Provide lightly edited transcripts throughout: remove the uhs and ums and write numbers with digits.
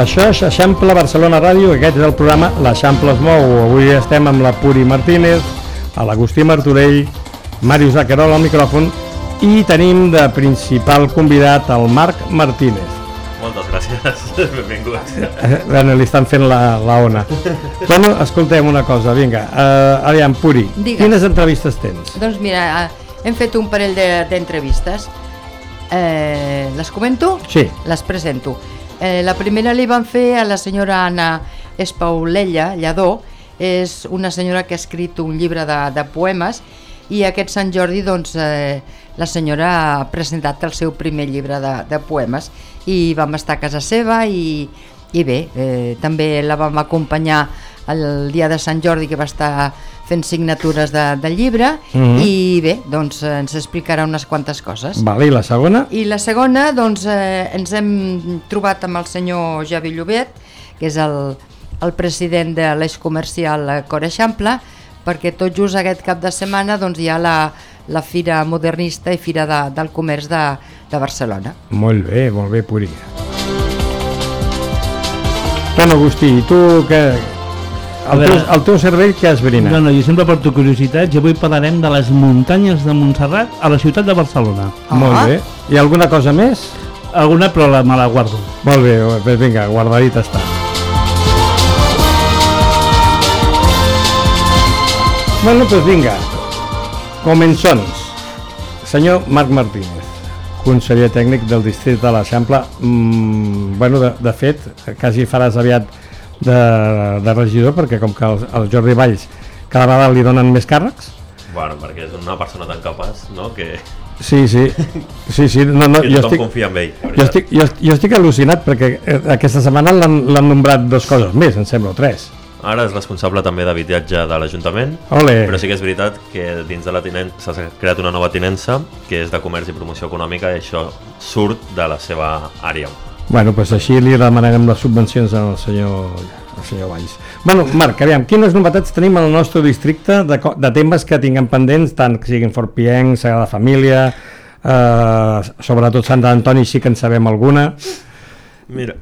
Això és Eixample Barcelona Ràdio, aquest és el programa L'Eixample es mou. Avui estem amb la Puri Martínez, l'Agustí Martorell, Màrius Aquerol al micròfon i tenim de principal convidat el Marc Martínez. Moltes gràcies, benvinguts. Bueno, li estan fent la ona. Bueno, escoltem una cosa, vinga. Aviam, Puri, quines entrevistes tens? Doncs mira, hem fet un parell d'entrevistes. Les comento? Sí. Les presento. La primera li van fer a la senyora Anna Espaulella Lladó. És una senyora que ha escrit un llibre de poemes i aquest Sant Jordi doncs, la senyora ha presentat el seu primer llibre de poemes i vam estar a casa seva i bé, també la vam acompanyar el dia de Sant Jordi que va estar fent signatures del llibre i bé, doncs ens explicarà unes quantes coses. Vale, i la segona? I la segona, doncs ens hem trobat amb el senyor Javi Llobet, que és el president de l'eix comercial Cor Eixample, perquè tot just aquest cap de setmana doncs, hi ha la Fira Modernista i Fira del Comerç de Barcelona. Molt bé, Puri. Bueno, Agustí, i tu què... El teu cervell què has brinat? No, jo sempre porto curiositats i avui parlarem de les muntanyes de Montserrat a la ciutat de Barcelona. Molt bé. I alguna cosa més? Alguna, però me la guardo. Molt bé, vinga, guardadit està. Bueno, doncs vinga, començons. Senyor Marc Martínez, conseller tècnic del districte de l'Eixample. Bueno, de fet, quasi faràs aviat de regidor, perquè com que el Jordi Valls cada vegada li donen més càrrecs. Bueno, perquè és una persona tan capaç, no?, que... Sí, no, que tothom confia en ell. Jo estic al·lucinat perquè aquesta setmana l'han nombrat 2 coses més, em sembla, o 3. Ara és responsable també d'habitatge de l'Ajuntament, però sí que és veritat que dins de la tinença s'ha creat una nova tinença que és de comerç i promoció econòmica i això surt de la seva àrea. Bueno, doncs així li demanarem les subvencions al senyor Valls. Bueno, Marc, aviam, quines novetats tenim al nostre districte de temes que tinguem pendents, tant que siguin Fort Pienc, Sagrada Família, sobretot Sant Antoni sí que en sabem alguna. Mira,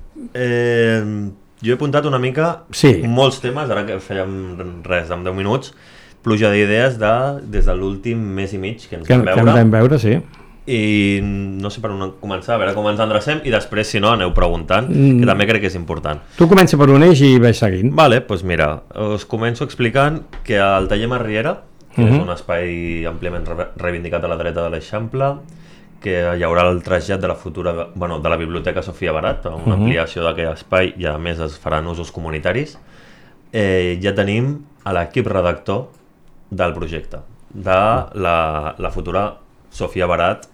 jo he apuntat una mica molts temes, ara que fèiem res, en 10 minuts, pluja d'idees des de l'últim mes i mig que ens vam veure, sí. I no sé per on començar, a veure com ens endrecem i després, si no, aneu preguntant, que també crec que és important. Tu comença per un eix i vaig seguint. Vale, doncs mira, us començo explicant que el taller Marriera, que és un espai àmpliament reivindicat a la dreta de l'Eixample, que hi haurà el trasllat de la futura, de la Biblioteca Sofia Barat, una ampliació d'aquell espai i a més es faran usos comunitaris. Ja tenim a l'equip redactor del projecte, de la futura Sofia Barat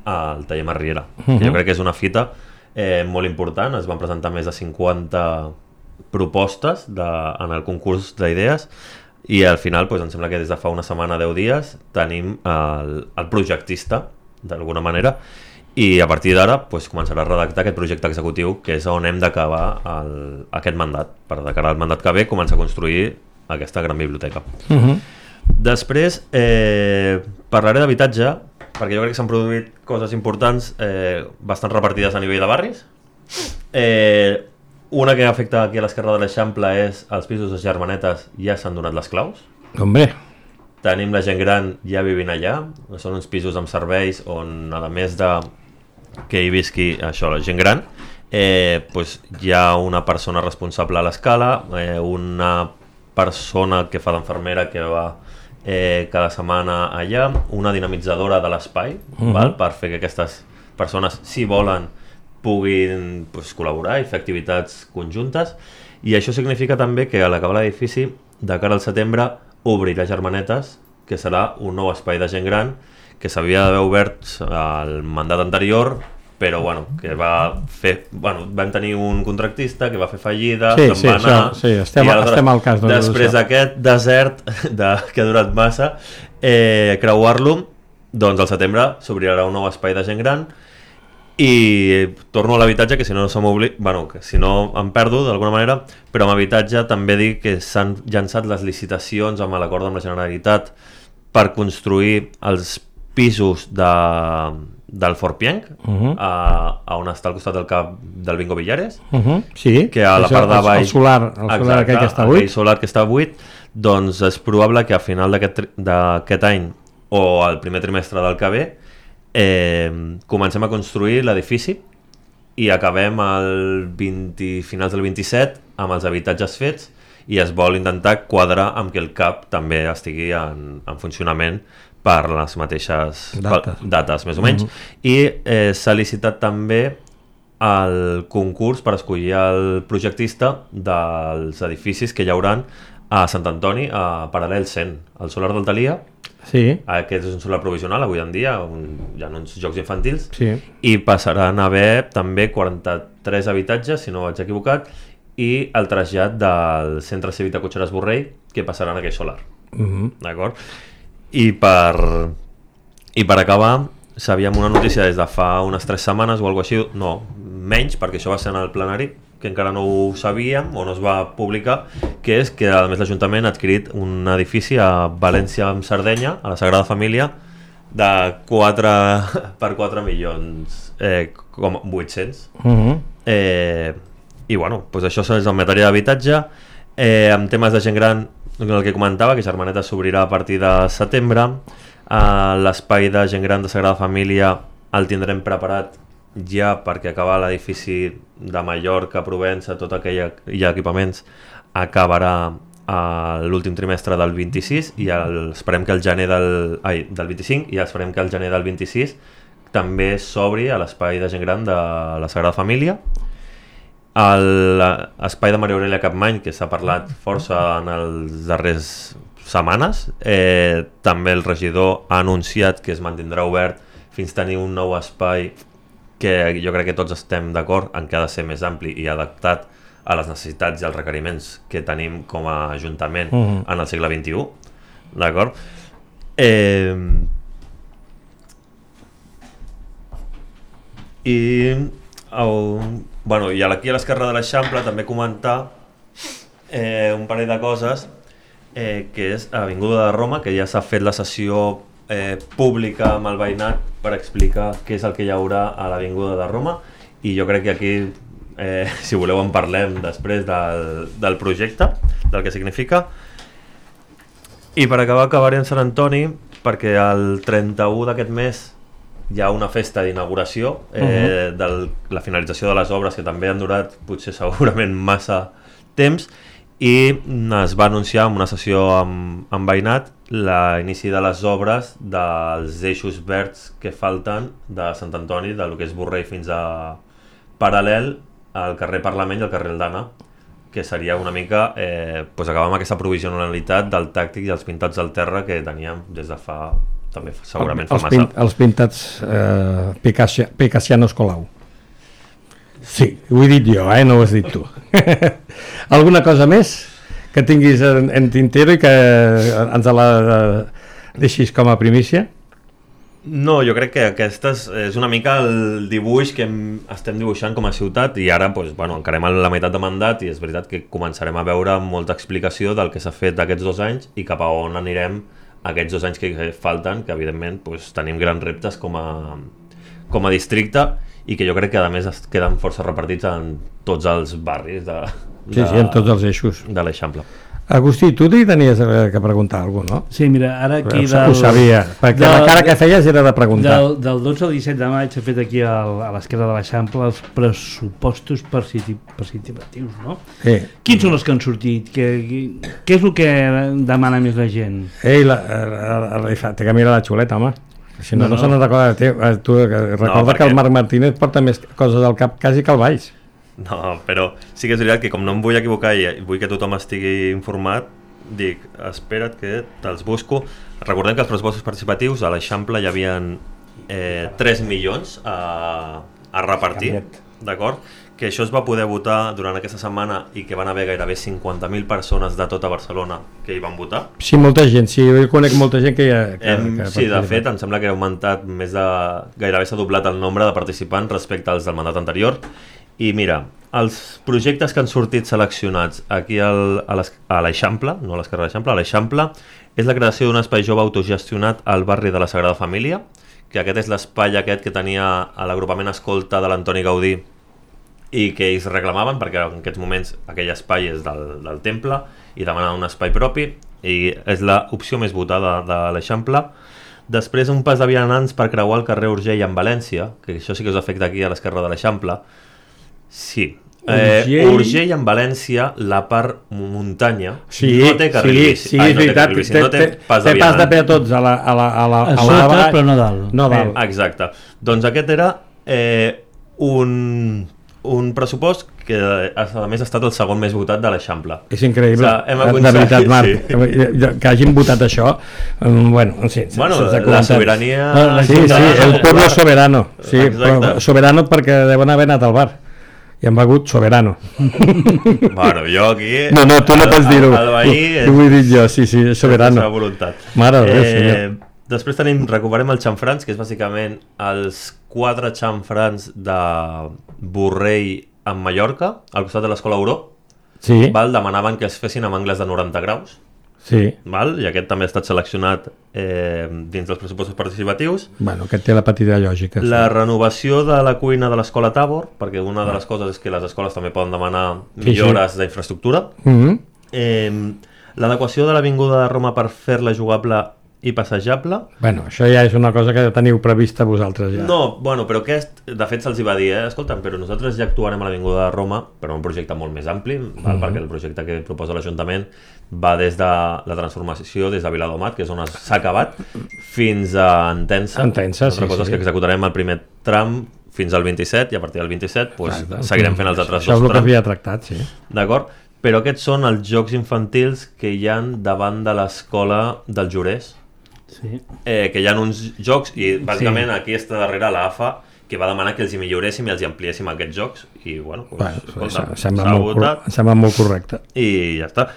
al taller Marriera. Jo crec que és una fita molt important, es van presentar més de 50 propostes en el concurs d'idees i al final em sembla que des de fa una setmana, 10 dies, tenim el projectista, d'alguna manera, i a partir d'ara començarà a redactar aquest projecte executiu que és on hem d'acabar aquest mandat, per de cara al mandat que ve començar a construir aquesta gran biblioteca. Després parlaré d'habitatge, perquè jo crec que s'han produït coses importants bastant repartides a nivell de barris. Una que afecta aquí a l'esquerra de l'Eixample és els pisos de Germanetes ja s'han donat les claus. Hombre. Tenim la gent gran ja vivint allà, són uns pisos amb serveis on, a més de que hi visqui això, la gent gran, hi ha una persona responsable a l'escala, una persona que fa d'enfermera que va cada setmana allà, una dinamitzadora de l'espai per fer que aquestes persones, si volen, puguin col·laborar i fer activitats conjuntes, i això significa també que a l'acabar l'edifici, de cara al setembre, obrirà Germanetes, que serà un nou espai de gent gran que s'havia d'haver obert al mandat anterior, però que vam tenir un contractista que va fer fallida, se'n va anar, estem al cas. Després d'aquest desert que ha durat massa, creuar-lo, doncs al setembre s'obrirà un nou espai de gent gran i torno a l'habitatge, que si no que si no em perdo d'alguna manera, però amb habitatge també dic que s'han llançat les licitacions amb l'acord amb la Generalitat per construir els pisos del Fort Pienc, a on està al costat del cap del Bingo Villares, sí, que a la part de baix... El solar aquell que està buit. Aquell solar que està buit, doncs és probable que a final d'aquest any o al primer trimestre del que ve comencem a construir l'edifici i acabem finals del 27 amb els habitatges fets i es vol intentar quadrar amb que el CAP també estigui en funcionament per les mateixes dates més o menys. I s'ha licitat també el concurs per escollir el projectista dels edificis que hi hauran a Sant Antoni, a Paral·lel 100, al solar d'Altalia. Sí. Aquest és un solar provisional avui en dia, hi ha uns jocs infantils, sí. I passaran a haver també 43 habitatges, si no vaig equivocat, i el trasllat del centre cívic de Cotxeres Borrell, que passaran a aquell solar. D'acord? I per acabar, sabíem una notícia des de fa unes 3 setmanes o alguna cosa així, no, menys, perquè això va ser en el plenari, que encara no ho sabíem o no es va publicar, que és que a més l'Ajuntament ha adquirit un edifici a València amb Sardenya, a la Sagrada Família, de 4 per 4 milions 800. I bueno, doncs això és en matèria d'habitatge. En temes de gent gran, el que comentava, que Germaneta s'obrirà a partir de setembre. L'espai de gent gran de Sagrada Família el tindrem preparat ja perquè acabar l'edifici de Mallorca, Provença, tot aquell i equipaments acabarà l'últim trimestre del 26 i esperem que el gener del 25 i esperem que el gener del 26 també s'obri a l'espai de gent gran de la Sagrada Família. L'espai de Maria Aurelia Capmany, que s'ha parlat força en les darreres setmanes, també el regidor ha anunciat que es mantindrà obert fins a tenir un nou espai que jo crec que tots estem d'acord en que ha de ser més ampli i adaptat a les necessitats i als requeriments que tenim com a Ajuntament en el segle XXI, d'acord? I aquí a l'esquerra de l'Eixample també comentar un parell de coses, que és Avinguda de Roma, que ja s'ha fet la sessió pública amb el veïnat per explicar què és el que hi haurà a l'Avinguda de Roma, i jo crec que aquí, si voleu, en parlem després del projecte, del que significa. I per acabaré en Sant Antoni, perquè el 31 d'aquest mes hi ha una festa d'inauguració de la finalització de les obres, que també han durat potser segurament massa temps, i es va anunciar en una sessió amb veïnat l'inici de les obres dels eixos verds que falten de Sant Antoni, del que és Borrell fins a Paral·lel, al carrer Parlament i al carrer Aldana, que seria una mica acabar amb aquesta provisionalitat del tàctic i els pintats del terra que teníem des de fa, també segurament fa massa. Els pintats Picassianos Colau. Sí, ho he dit jo, no ho has dit tu. Alguna cosa més que tinguis en tintero i que ens la deixis com a primícia? No, jo crec que aquesta és una mica el dibuix que estem dibuixant com a ciutat, i ara encarem a la meitat de mandat i és veritat que començarem a veure molta explicació del que s'ha fet aquests 2 anys i cap a on anirem aquests 2 anys que falten, que evidentment tenim grans reptes com a districte, i que jo crec que a més es queden força repartits en tots els barris en tots els eixos de l'Eixample. Agustí, tu t'hi tenies que preguntar alguna cosa, no? Sí, mira, ara aquí ho sabia, perquè la cara que feies era de preguntar. Del 12 al 17 de maig s'ha fet aquí a l'esquerra de l'Eixample els pressupostos participatius, no? Sí. Quins són els que han sortit? Què és el que demana més la gent? Té que mirar la xuleta, home. Si no se n'ha recordat de tu. Recorda que el Marc Martínez porta més coses al cap quasi que el Valls. No, però sí que és veritat que com no em vull equivocar i vull que tothom estigui informat, dic, espera't que te'ls busco. Recordem que els pressupostos participatius a l'Eixample hi havia 3 milions a repartir, d'acord? Que això es va poder votar durant aquesta setmana i que van haver gairebé 50.000 persones de tota Barcelona que hi van votar. Sí, molta gent, sí, jo conec molta gent que sí, de fet, em sembla que ha augmentat gairebé s'ha doblat el nombre de participants respecte als del mandat anterior. I mira, els projectes que han sortit seleccionats aquí a l'Eixample, no a l'esquerra de l'Eixample, a l'Eixample, és la creació d'un espai jove autogestionat al barri de la Sagrada Família, que aquest és l'espai aquest que tenia l'agrupament escolta de l'Antoni Gaudí i que ells reclamaven, perquè en aquests moments aquell espai és del temple i demanen un espai propi, i és l'opció més votada de l'Eixample. Després un pas de vianants per creuar el carrer Urgell en València, que això sí que us afecta aquí a l'esquerra de l'Eixample. Sí, Urgell en València, la part muntanya, no té carril bici. Sí, és veritat, té pas de peatons a sota, però no dalt. No dalt. Exacte. Doncs aquest era un pressupost que a més ha estat el segon més votat de l'Eixample. És increïble, de veritat, Marc, que hagin votat això. Bueno, sí, la sobirania... Sí, el pueblo soberano. Soberano perquè deuen haver anat al bar i han begut soberano. Bueno, jo aquí... No, tu no pots dir-ho. El veí... Ho vull dir jo, sí, soberano. És la voluntat. Mare de Déu, senyor. Després recuperem el xamfrans, que és bàsicament els 4 xamfrans de Borrell en Mallorca, al costat de l'Escola Auró. Sí. Demanaven que es fessin amb angles de 90 graus. Sí. I aquest també ha estat seleccionat dins dels pressupostos participatius. Bueno, aquest té la petita lògica. La renovació de la cuina de l'Escola Tabor, perquè una de les coses és que les escoles també poden demanar millores d'infraestructura. L'adequació de l'Avinguda de Roma per fer-la jugable i passejable. Bueno, això ja és una cosa que teniu prevista vosaltres ja. No, bueno, però aquest, de fet se'ls va dir, escolta'm, però nosaltres ja actuarem a l'Avinguda de Roma, però un projecte molt més ampli, perquè el projecte que proposa l'Ajuntament va des de la transformació des de Viladomat, que és on s'ha acabat, fins a Entença. Altra cosa és que executarem el primer tram fins al 27 i a partir del 27 seguirem fent els altres 2 trams. Això és el que havia tractat, sí. D'acord? Però aquests són els jocs infantils que hi ha davant de l'escola del Jurès. Sí. Que hi ha uns jocs i bàsicament aquí està darrere l'AFA que va demanar que els hi milloréssim i els hi ampliéssim aquests jocs i bueno, sembla molt correcte i ja està.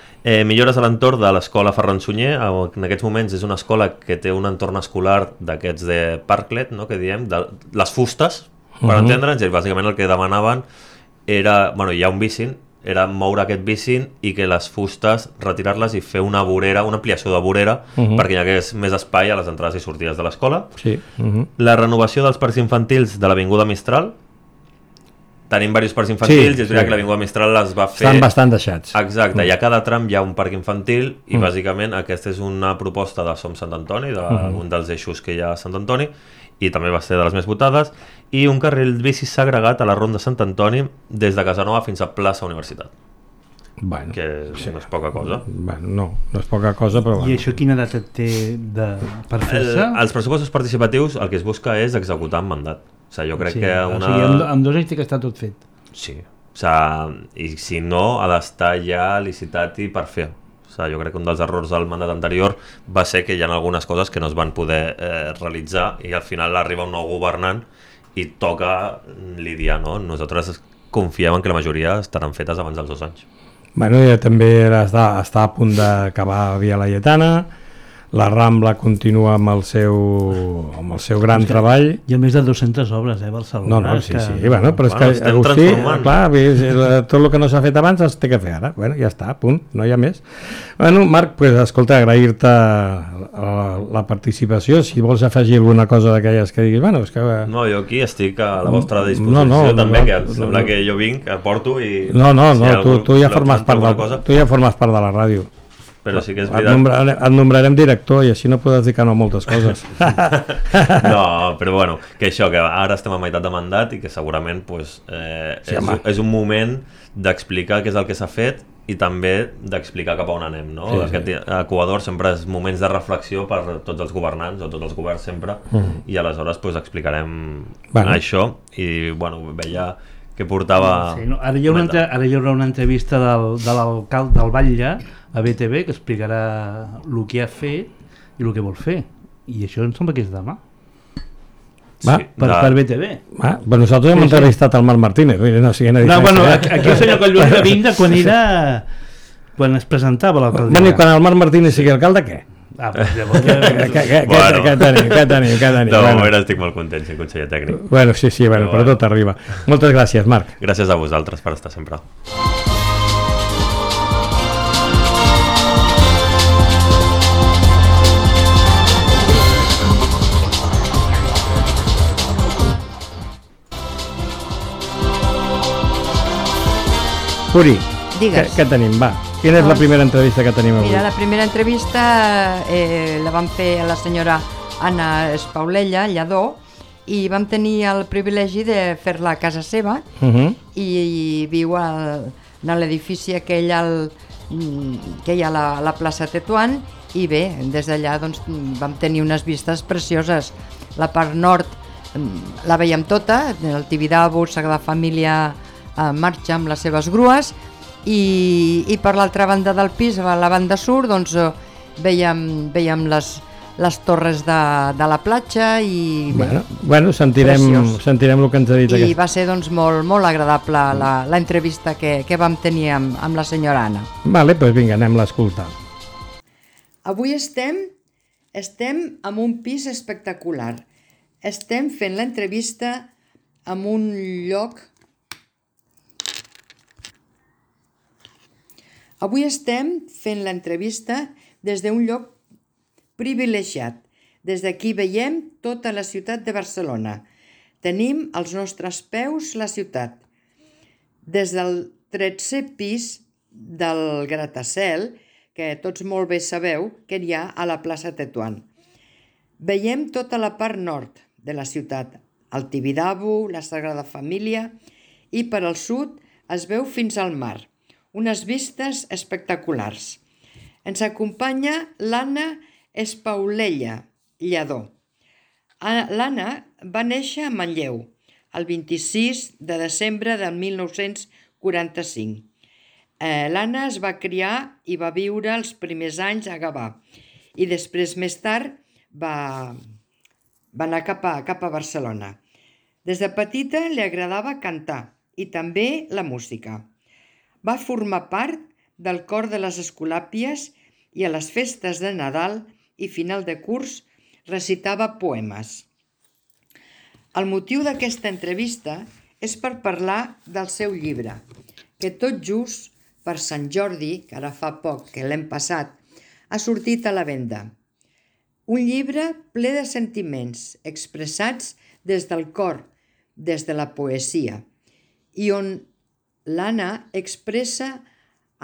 Millores a l'entorn de l'escola Ferran Sunyer. En aquests moments és una escola que té un entorn escolar d'aquests de parklet, no? Que diem, de les fustes, per entendre'ns, i bàsicament el que demanaven era, bueno, hi ha un bicing, era moure aquest bicing i que les fustes retirar-les i fer una vorera, una ampliació de vorera perquè hi hagués més espai a les entrades i sortides de l'escola. Sí. La renovació dels parcs infantils de l'Avinguda Mistral. Tenim diversos parcs infantils i és veritat que l'Avinguda Mistral les va fer... Estan bastant deixats. Exacte, i a cada tram hi ha un parc infantil i bàsicament aquesta és una proposta de Som Sant Antoni, d'un dels eixos que hi ha a Sant Antoni, i també va ser de les més votades, i un carril bici segregat a la Ronda Sant Antoni des de Casanova fins a Plaça Universitat. Bueno, que no és poca cosa. Bueno, no és poca cosa, però... I això quina data té per fer-se? Els pressupostos participatius el que es busca és executar en mandat. O sigui, jo crec que una... O sigui, amb 2 anys té que estar tot fet. Sí, o sigui, i si no, ha d'estar ja licitat i per fer. O sigui, jo crec que un dels errors del mandat anterior va ser que hi ha algunes coses que no es van poder realitzar i al final arriba un nou governant i toca lidiar, no? Nosaltres confiem en que la majoria estaran fetes abans dels 2 anys. Bueno, ja també està a punt d'acabar Via Laietana, la Rambla continua amb el seu gran treball. Hi ha més de 200 obres, Barcelona. No, sí, bueno, però és que Agustí, clar, tot el que no s'ha fet abans es té que fer ara. Bueno, ja està, punt, no hi ha més. Bueno, Marc, pues, escolta, agrair-te la participació. Si vols afegir alguna cosa d'aquelles que diguis, bueno, és que... No, jo aquí estic a la vostra disposició també, que sembla que jo vinc, aporto i... No, tu ja formes part de la ràdio. Però sí que és veritat... Et nombrarem director i així no podràs dir que no a moltes coses. No, però bueno, que això, que ara estem a meitat de mandat i que segurament pues, és un moment d'explicar què és el que s'ha fet i també d'explicar cap a on anem, no? Aquest Equador sempre és moments de reflexió per tots els governants o tots els governs sempre i aleshores pues, explicarem això i bueno, veia que portava... Sí, no, ara hi haurà una entrevista de l'alcalde del Batlle a BTV que explicarà el que ha fet i el que vol fer i això em sembla que és demà per BTV. Nosaltres hem entrevistat el Marc Martínez. Aquí el senyor Collboni va vindre quan es presentava l'alcalde. I quan el Marc Martínez sigui alcalde, què? Què tenim? De moment estic molt content ser conseller tècnic. Bueno, sí, però tot arriba. Moltes gràcies, Marc. Gràcies a vosaltres per estar sempre. Puri, Digues. què tenim? Va, quina és la primera entrevista que tenim avui? Mira, la primera entrevista la vam fer a la senyora Anna Espaulella, Lladó, i vam tenir el privilegi de fer-la a casa seva, i viu en l'edifici aquell que hi ha a la plaça Tetuan, i bé, des d'allà doncs, vam tenir unes vistes precioses. La part nord la veiem tota, el Tibidabo, Sagrada Família marxa amb les seves grues, i per l'altra banda del pis, a la banda sud, doncs, veiem les torres de la platja i bé, Bueno, sentirem el que ens ha dit. i va ser doncs, molt agradable la entrevista que vam tenir amb la senyora Anna. Vale, doncs vinga, anem-la a escoltar. Avui estem en un pis espectacular. Estem fent l'entrevista en un lloc... Avui estem fent l'entrevista des d'un lloc privilegiat. Des d'aquí veiem tota la ciutat de Barcelona. Tenim als nostres peus la ciutat. Des del 13è pis del gratacel, que tots molt bé sabeu que hi ha a la plaça Tetuan. Veiem tota la part nord de la ciutat, el Tibidabo, la Sagrada Família, i per al sud es veu fins al mar, unes vistes espectaculars. Ens acompanya l'Anna Espaulella, Lladó. L'Anna va néixer a Manlleu el 26 de desembre de 1945. L'Anna es va criar i va viure els primers anys a Gavà i després, més tard, va anar cap a Barcelona. Des de petita li agradava cantar i també la música. Va formar part del cor de les Escolàpies i a les festes de Nadal i final de curs recitava poemes. El motiu d'aquesta entrevista és per parlar del seu llibre, que tot just per Sant Jordi, que ara fa poc que l'hem passat, ha sortit a la venda. Un llibre ple de sentiments expressats des del cor, des de la poesia, i on l'Anna expressa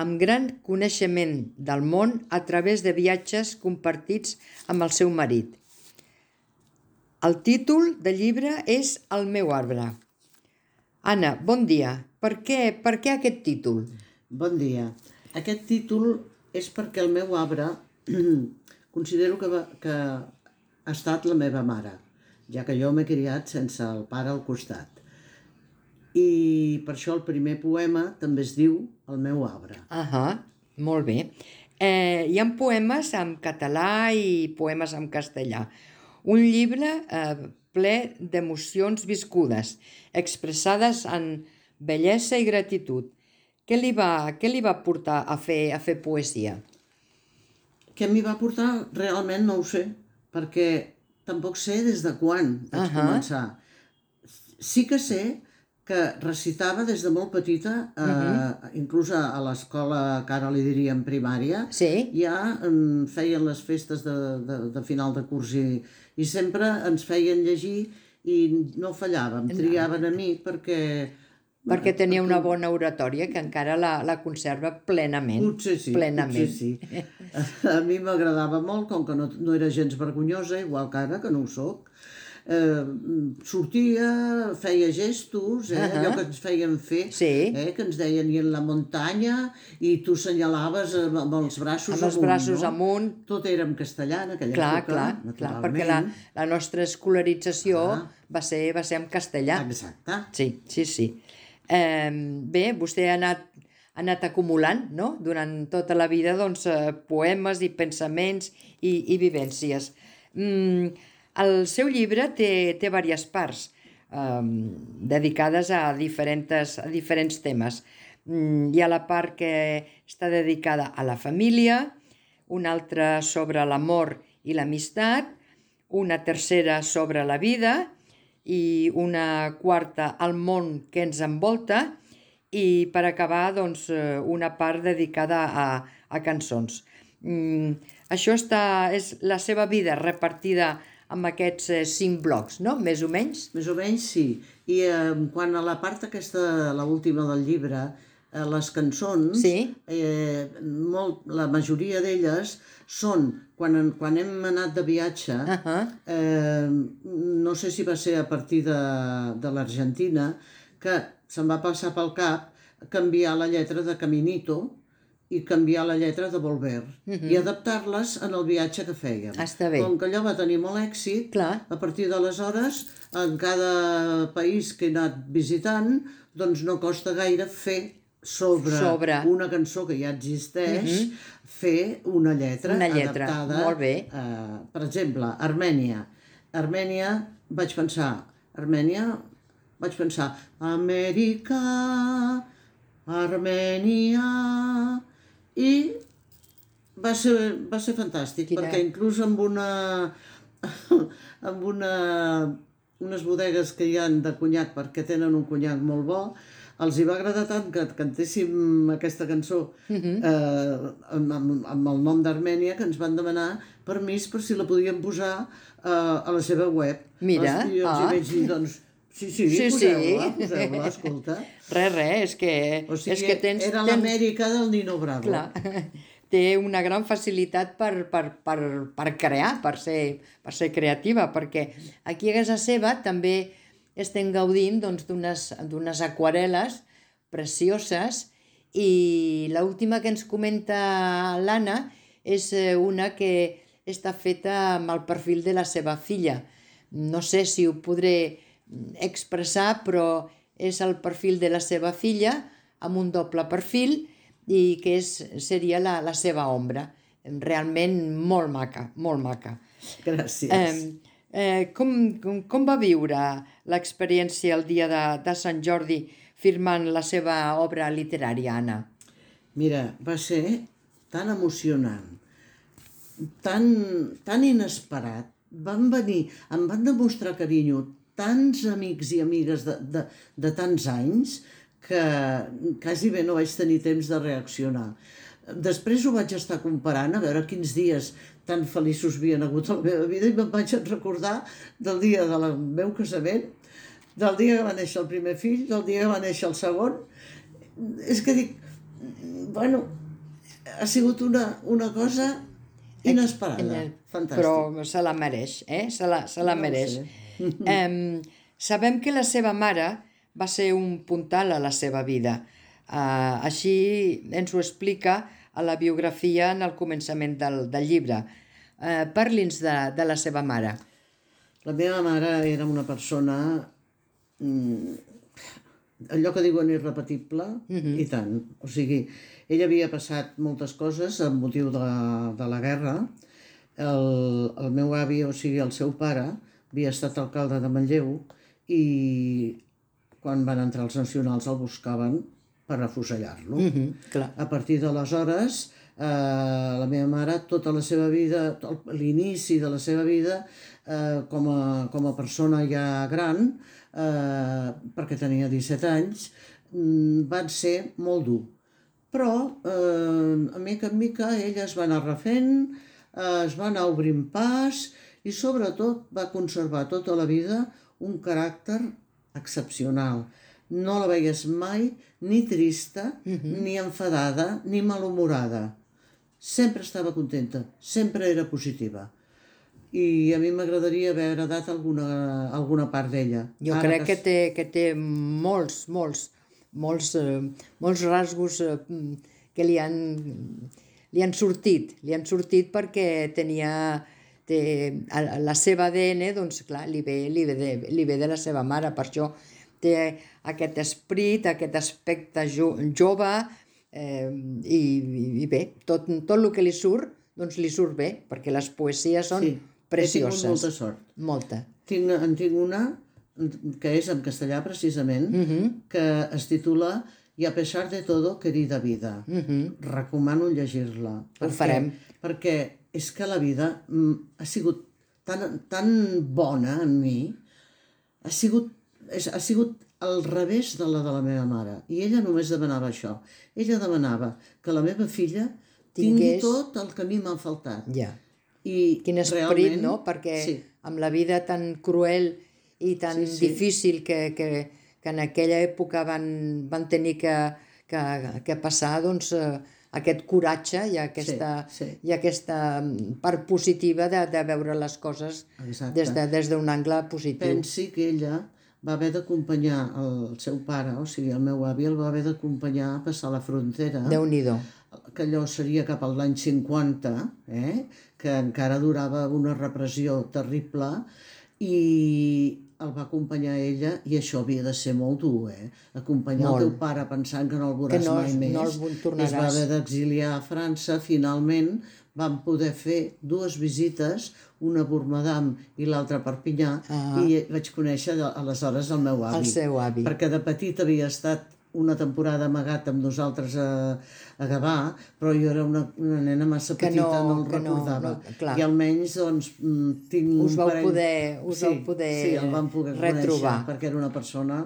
amb gran coneixement del món a través de viatges compartits amb el seu marit. El títol del llibre és El meu arbre. Anna, bon dia. Per què aquest títol? Bon dia. Aquest títol és perquè el meu arbre considero que ha estat la meva mare, ja que jo m'he criat sense el pare al costat. I per això el primer poema també es diu El meu arbre. Molt bé. Hi ha poemes en català i poemes en castellà. Un llibre ple d'emocions viscudes, expressades en bellesa i gratitud. Què li va portar a fer poesia? Què m'hi va portar? Realment no ho sé, perquè tampoc sé des de quan vaig començar. Sí que sé que recitava des de molt petita, inclús a l'escola, que ara li diríem primària, ja feien les festes de final de curs i sempre ens feien llegir i no fallàvem, triaven a mi Perquè tenia una bona oratòria que encara la conserva plenament. Potser sí. A mi m'agradava molt, com que no era gens vergonyosa, igual que ara, que no ho soc. Sortia, feia gestos, allò que ens feien fer, que ens deien i en la muntanya, i tu senyalaves amb els braços amunt. Tot era en castellà en aquella època, naturalment. Perquè la nostra escolarització va ser en castellà. Exacte. Sí. Bé, vostè ha anat acumulant, no?, durant tota la vida, doncs, poemes i pensaments i vivències. El seu llibre té diverses parts dedicades a diferents temes. Hi ha la part que està dedicada a la família, una altra sobre l'amor i l'amistat, una tercera sobre la vida i una quarta al món que ens envolta i per acabar doncs, una part dedicada a cançons. Això és la seva vida repartida amb aquests 5 blocs, no? Més o menys? Més o menys, sí. I quant a la part aquesta, l'última del llibre, les cançons, Sí. la majoria d'elles són, quan hem anat de viatge, no sé si va ser a partir de l'Argentina, que se'm va passar pel cap canviar la lletra de Caminito i canviar la lletra de Volver i adaptar-les en el viatge que fèiem. Està bé. Com que allò va tenir molt èxit, Clar. a partir d'aleshores, en cada país que he anat visitant, doncs no costa gaire fer sobre una cançó que ja existeix, fer una lletra adaptada. Molt bé. Per exemple, Armènia, vaig pensar, Amèrica, Armènia, i va ser fantàstic, perquè inclús amb unes bodegues que hi ha de conyac, perquè tenen un conyac molt bo, els hi va agradar tant que cantéssim aquesta cançó amb el nom d'Armènia, que ens van demanar permís per si la podíem posar a la seva web. Mira, i els hi vaig dir, doncs, sí, poseu-la, escolta. Res, és que... O sigui, era l'Amèrica del Nino Bravo. Clar, té una gran facilitat per crear, per ser creativa, perquè aquí a casa seva també estem gaudint d'unes aquarel·les precioses, i l'última que ens comenta l'Anna és una que està feta amb el perfil de la seva filla. No sé si ho podré expressar, però és el perfil de la seva filla amb un doble perfil i que seria la seva ombra. Realment molt maca, molt maca. Gràcies. Com va viure l'experiència el dia de Sant Jordi firmant la seva obra literària, Anna? Mira, va ser tan emocionant, tan inesperat. Van venir, em van demostrar carinyo tants amics i amigues de tants anys que quasi bé no vaig tenir temps de reaccionar. Després ho vaig estar comparant a veure quins dies tan feliços havien hagut a la meva vida i me'n vaig recordar del dia del meu casament, del dia que va néixer el primer fill, del dia que va néixer el segon. És que dic, bueno, ha sigut una cosa inesperada, fantàstic. Però se la mereix, se la mereix. Sabem que la seva mare va ser un puntal a la seva vida. Així ens ho explica a la biografia en el començament del llibre. Parli'ns de la seva mare. La meva mare era una persona, allò que diuen irrepetible, i tant. O sigui, ella havia passat moltes coses amb motiu de la guerra. El meu avi, o sigui, el seu pare, havia estat alcalde de Manlleu i quan van entrar els nacionals el buscaven per afusellar-lo. A partir d'aleshores, la meva mare, tota la seva vida, l'inici de la seva vida, com a persona ja gran, perquè tenia 17 anys, van ser molt dur. Però, a mica en mica, ella es va anar refent, es va anar obrint pas i, sobretot, va conservar tota la vida un caràcter excepcional. No la veies mai ni trista, ni enfadada, ni malhumorada. Sempre estava contenta, sempre era positiva. I a mi m'agradaria haver heredat alguna part d'ella. Jo crec que té molts rasgos que li han sortit perquè tenia la seva ADN, doncs clar, li ve de la seva mare, per això té aquest esperit, aquest aspecte jove, i bé, tot el que li surt, doncs li surt bé, perquè les poesies són precioses. He tingut molta sort. Molta. En tinc una, que és en castellà precisament, que es titula Y a pesar de todo, querida vida. Recomano llegir-la. Ho farem. Perquè és que la vida ha sigut tan bona en mi, ha sigut al revés de la meva mare. I ella només demanava això. Ella demanava que la meva filla tingui tot el que a mi m'ha faltat. Ja. Quin esperit, no? Perquè amb la vida tan cruel i tan difícil que en aquella època van tenir que que passar doncs, aquest coratge i aquesta part positiva de veure les coses des d'un angle positiu. Pensi que ella va haver d'acompanyar el seu pare, o sigui, el meu avi el va haver d'acompanyar a passar la frontera. Déu-n'hi-do. Que allò seria cap a l'any 50, que encara durava una repressió terrible, i el va acompanyar ella, i això havia de ser molt dur, acompanyar el teu pare pensant que no el veuràs mai més, es va haver d'exiliar a França. Finalment van poder fer 2 visites, una a Bormadam i l'altra a Perpinyà, i vaig conèixer aleshores el meu avi. El seu avi. Perquè de petit havia estat una temporada amagat amb nosaltres a Gavà, però jo era una nena massa petita, no el recordava. I almenys doncs tinc un parell... Us vau poder sí, el vam poder retrobar. Conèixer, perquè era una persona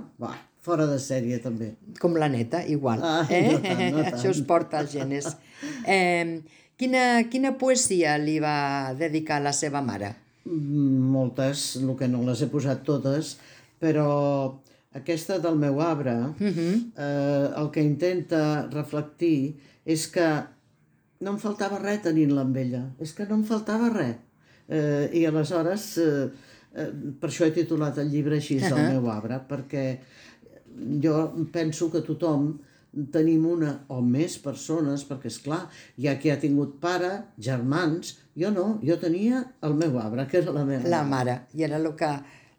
fora de sèrie també. Com la neta, igual. No tant. Això es porta als genes. Quina poesia li va dedicar a la seva mare? Moltes, el que no les he posat totes, però aquesta del meu arbre, el que intenta reflectir és que no em faltava res tenint-la amb ella, és que no em faltava res. I aleshores, per això he titulat el llibre així, el meu arbre, perquè jo penso que tothom tenim una o més persones, perquè és clar, hi ha qui ha tingut pare, germans, jo no, jo tenia el meu arbre, que era la meva mare. La mare, i era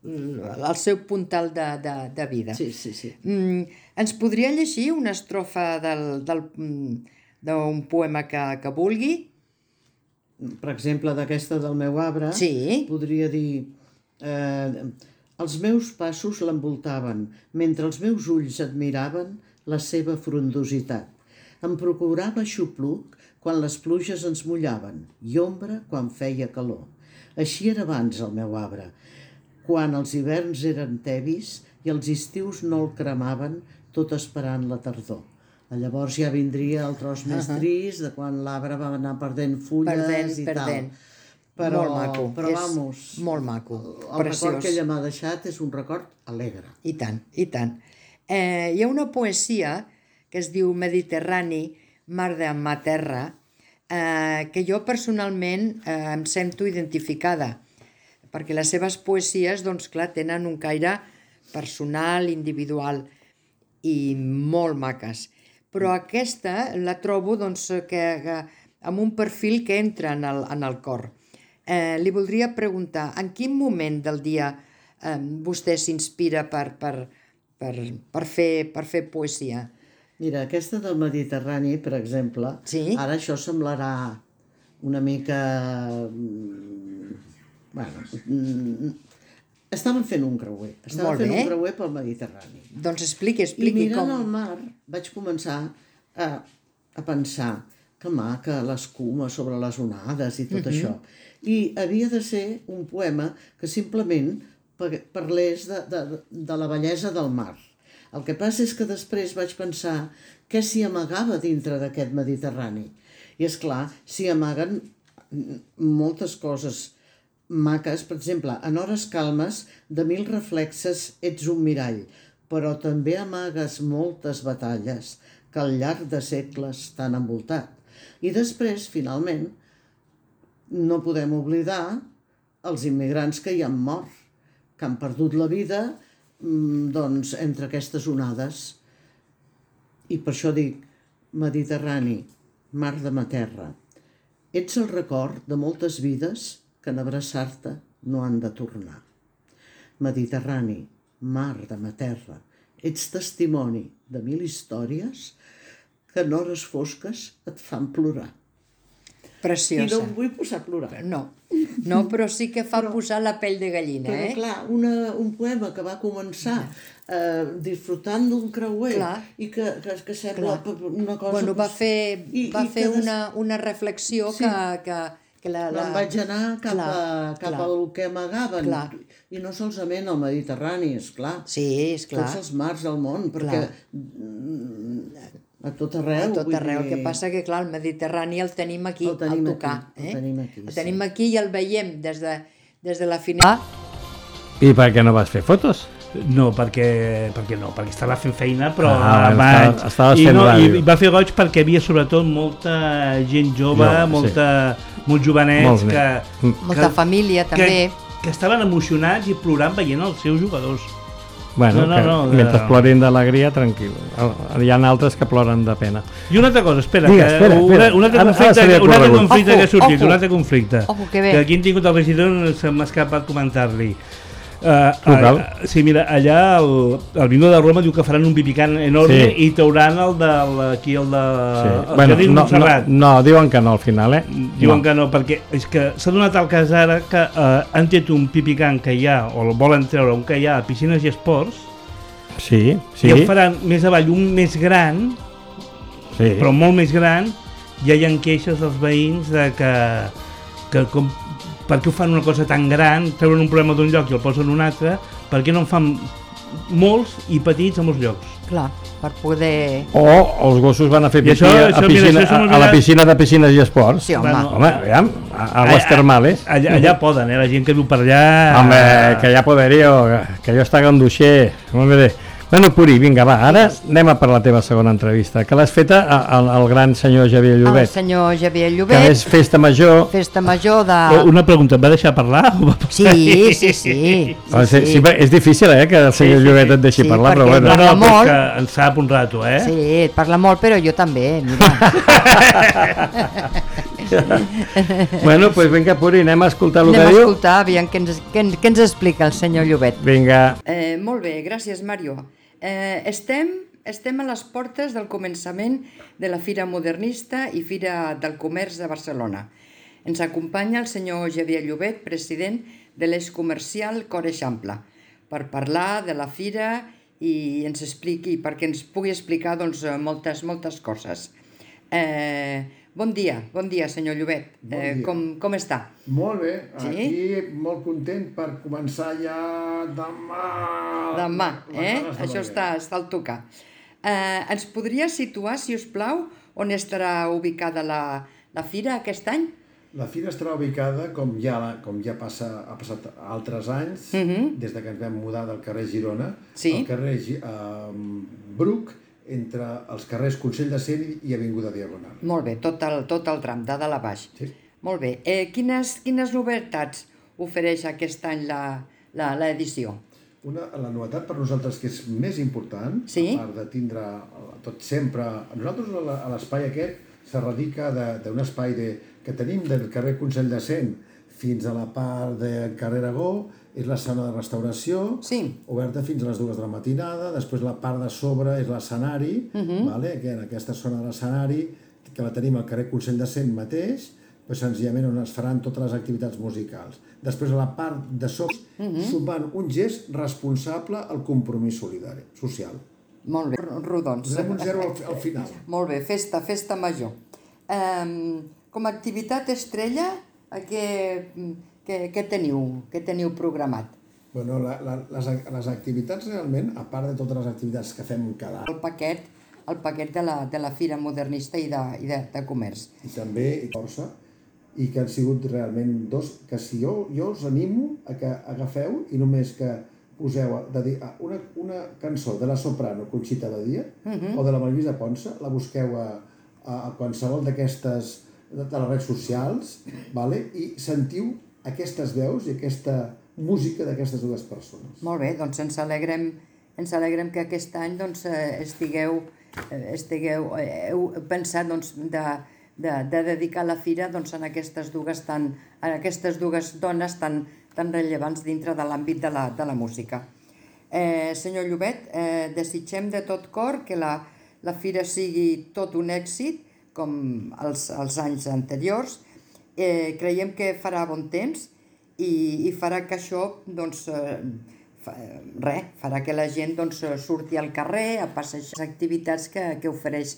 el seu puntal de vida. Sí. Ens podria llegir una estrofa d'un poema que vulgui? Per exemple, d'aquesta del meu arbre, podria dir: els meus passos l'envoltaven, mentre els meus ulls admiraven la seva frondositat. Em procurava xupluc quan les pluges ens mullaven i ombra quan feia calor. Així era abans el meu arbre, quan els hiverns eren tebis i els estius no el cremaven, tot esperant la tardor. Llavors ja vindria el tros més trist, de quan l'arbre va anar perdent fulles i tal. Però, molt maco. Però vamos, molt maco. El record que ella m'ha deixat és un record alegre. I tant, i tant. Hi ha una poesia que es diu Mediterrani, mar de ma terra, que jo personalment em sento identificada, perquè les seves poesies, doncs clar, tenen un caire personal, individual i molt maques. Però aquesta la trobo doncs, amb un perfil que entra en el cor. Li voldria preguntar, en quin moment del dia vostè s'inspira per fer poesia? Mira, aquesta del Mediterrani, per exemple, ara això semblarà una mica... Bueno, estaven fent un creuer. Estaven fent un creuer pel Mediterrani. Doncs expliqui com. I mirant el mar vaig començar a pensar que maca l'escuma sobre les onades i tot això. I havia de ser un poema que simplement parlés de la bellesa del mar. El que passa és que després vaig pensar què s'hi amagava dintre d'aquest Mediterrani. I és clar, s'hi amaguen moltes coses maques. Per exemple, en hores calmes, de 1000 reflexes ets un mirall, però també amagues moltes batalles que al llarg de segles t'han envoltat. I després, finalment, no podem oblidar els immigrants que hi han mort, que han perdut la vida doncs, entre aquestes onades. I per això dic, Mediterrani, mar de ma terra, ets el record de moltes vides que en abraçar-te no han de tornar. Mediterrani, mar de ma terra, ets testimoni de 1000 històries que en hores fosques et fan plorar. Preciosa. I no em vull posar a plorar. No, però sí que fa posar la pell de gallina. Però clar, un poema que va començar disfrutant d'un creuer i que sembla una cosa... Bueno, va fer una reflexió que me'n vaig anar cap al que amagaven. I no solament al Mediterrani, esclar. Sí, esclar. Tots els mars del món, perquè a tot arreu. A tot arreu. El que passa que, clar, el Mediterrani el tenim aquí, al tocar. El tenim aquí i el veiem des de la finestra. I per què no vas fer fotos? No, perquè estava fent feina, però estava fent ràdio. I va fer goig perquè hi havia sobretot molta gent jove, molts jovenets molta família també que estaven emocionats i plorant veient els seus jugadors. Bueno, mentre plorin d'alegria, tranquil. Hi ha altres que ploren de pena. I una altra cosa, espera. Un altre conflicte que ha sortit, un altre conflicte. Que aquí hem tingut el regidor, se m'ha escapat comentar-li. Sí, mira, allà el Vino de Roma diu que faran un pipicant enorme i trauran el Jardí Montserrat. No, diuen que no al final, Diuen que no, perquè és que s'ha donat el cas ara que han tret un pipicant que hi ha, o el volen treure, un que hi ha a Piscines i Esports, i el faran més avall, un més gran, però molt més gran. Ja hi ha queixes dels veïns de que per què ho fan una cosa tan gran, treuen un problema d'un lloc i el posen en un altre, per què no en fan molts i petits a molts llocs? Clar, per poder... O els gossos van a fer pipí a la piscina de Piscines i Esports. Sí, home. Aviam, a les termales. Allà poden, la gent que viu per allà... Home, que ja poderío, que jo està ganduixer. Bueno, Puri, vinga, va, ara anem a per la teva segona entrevista, que l'has feta al gran senyor Xavier Llobet. El senyor Xavier Llobet. Que és festa major. Festa major de... Una pregunta, em va deixar parlar? Sí. És difícil, que el senyor Llobet et deixi parlar, però bueno. No, perquè en sap un rato, Sí, et parla molt, però jo també, mira. Bueno, doncs vinga, Puri, anem a escoltar el que diu. Anem a escoltar, aviam què ens explica el senyor Llobet. Vinga. Molt bé, gràcies, Mario. Estem a les portes del començament de la Fira Modernista i Fira del Comerç de Barcelona. Ens acompanya el senyor Xavier Llobet, president de l'Eix Comercial Cor Eixample, per parlar de la fira i ens expliqui, perquè ens pugui explicar moltes coses. Bon dia, senyor Llobet. Com està? Molt bé, aquí molt content per començar ja demà. Això està al tocar. Ens podria situar, si us plau, on estarà ubicada la fira aquest any? La fira estarà ubicada, com ja ha passat altres anys, des que ens vam mudar del carrer Girona, al carrer Bruc, entre els carrers Consell de Cent i Avinguda Diagonal. Molt bé, tot el tram, de dalt a baix. Sí. Molt bé. Quines novetats ofereix aquest any l'edició? La novetat per nosaltres que és més important, a part de tindre tot sempre... Nosaltres a l'espai aquest se radica d'un espai que tenim del carrer Consell de Cent fins a la part del carrer Aragó, és la sala de restauració, oberta fins a les 2 de la matinada, després la part de sobre és l'escenari, que en aquesta zona de l'escenari, que la tenim al carrer Consell de Cent mateix, senzillament on es faran totes les activitats musicals. Després a la part de sobre sumant un gest responsable al compromís solidari, social. Molt bé, rodons. Donem un 0 al final. Molt bé, festa major. Com a activitat estrella, què teniu programat? Bueno, les activitats realment, a part de totes les activitats que fem cada any... El paquet de la Fira Modernista i de Comerç. I també força, i que han sigut realment dos, que si jo us animo a que agafeu i només que poseu una cançó de la soprano Conxita Badia o de la Marisa Ponsa, la busqueu a qualsevol d'aquestes de les redes socials i sentiu aquestes veus i aquesta música d'aquestes dues persones. Molt bé, doncs ens alegrem que aquest any heu pensat de dedicar la fira a aquestes dues dones tan rellevants dintre de l'àmbit de la música. Senyor Llobet, desitgem de tot cor que la fira sigui tot un èxit, com els anys anteriors. Creiem que farà bon temps i farà que això farà que la gent surti al carrer a passejar les activitats que ofereix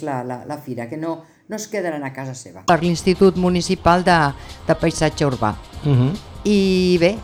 la fira, que no es quedaran a casa seva. Per l'Institut Municipal de Paisatge Urbà. I bé...